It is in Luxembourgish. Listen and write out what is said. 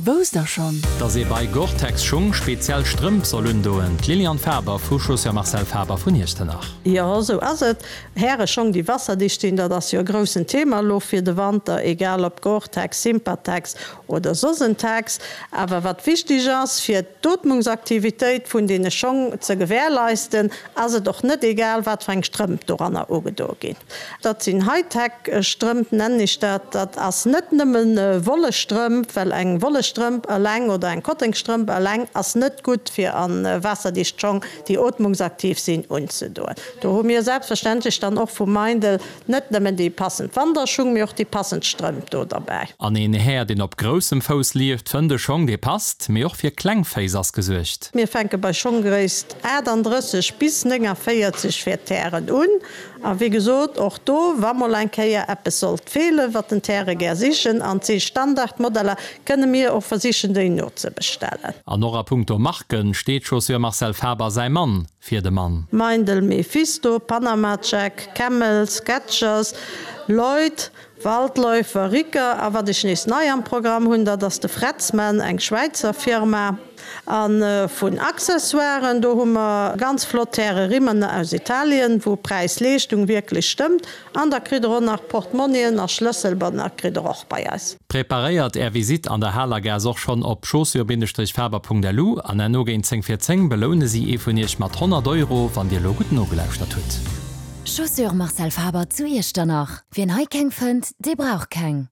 Wousst der schonn? Dass ee bei Gore-Tex Schung speziell Strëmp soll undoen, d'Liliane Faber vu Chaussures Marcel Faber vun Iechternach. Jo, esou ass et. Häreschong déi wasserdicht sinn, dat ass jo e groussen Thema elo fir de Wanter, egal ob Gore-Tex, Sympatex oder soss en Tex. Awer wat wichtig ass, fir d'Ootmungsaktivitéit vun deene Schong ze gewährleisten, ass et och net egal, wat fir eng Strëmp doranner ugedoe ginn. Dat sinn Hightech-Strëmp, nennen ech dat. Dat ass net nëmme Wollestrëmp, well eng Wollestrëmp eleng oder eng Kottengstrëmp eleng ass net gutt fir a waasserdicht Schong, déi ootmungsaktiv sinn, unzedoen. Do hu mir selbstverständlech dann och vu Meindl net nëmmen déi passend Wanderschung, mee och déi passend Strëmp do derbäi. An een Här, deen op groussem Fouss lieft, fënnt e Schong, dee passt, mee och fir kleng Féiss ass gesuergt. Mir fänke bei Schonggréisst 38 bis 49 fir d'Hären un. A wéi gesot, och do, wa mol eng Kéier eppes sollt feelen, wat den Terrain gär sichen, an et si Standardmodeller, kënne mir och versichen, déi nozebestellen. An och a punkto Marken steet Chaussure Marcel Faber säi Mann fir de Mann. Meindl, Mephisto, Panama Jack, Camel, Skechers, Lloyd, Waldläufer, Rieker a wat ech nees nei am Programm hunn, dat ass de Fretzmann, eng Schwäizer Firma. A vun Accessoiren, do hu mer ganz flott Häre-Rimmen aus Italien, wou Präis-Leeschtung wierklech stëmmt. An da kritt der och nach Portmonnien a Schlësselbänner kritt der och bei eis. Preparéiert Är Visitt an der Halergaass och schonn op chaussures-faber.lu an herno géint 10 vir 10 beloune si ee vun Iech mat 100 Euro, wann Dir elo gutt nogelauschtert hutt. Chaussures Marcel Faber zu Iechternach, Wien hei keng fënnt, dee brauch keng.